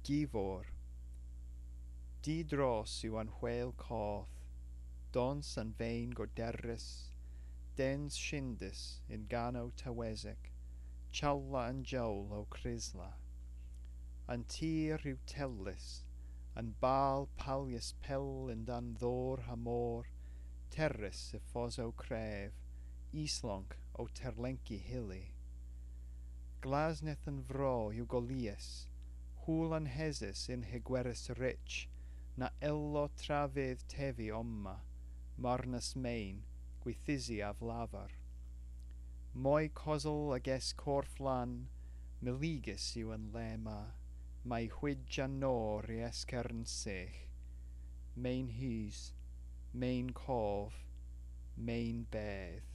Givor. Didros yw an hwel coth, dons an vein goderris, dens shindus in gano tawezek, challa an jowl o crisla. An tir yw tellus, an bal palius pell in dan ddor ha mor, terris y foso cref, islonc o terlenki hilly. Glasneth an vro yw golius, hwl an hesus in hegweris rich, na ello trafydd tevi omma, marnus main, gwithisi af lavar. Moi cosel ages corff lan, miligus yw an lema, mae hwij an nor i escern sech. Main hys, main cof, main bedd.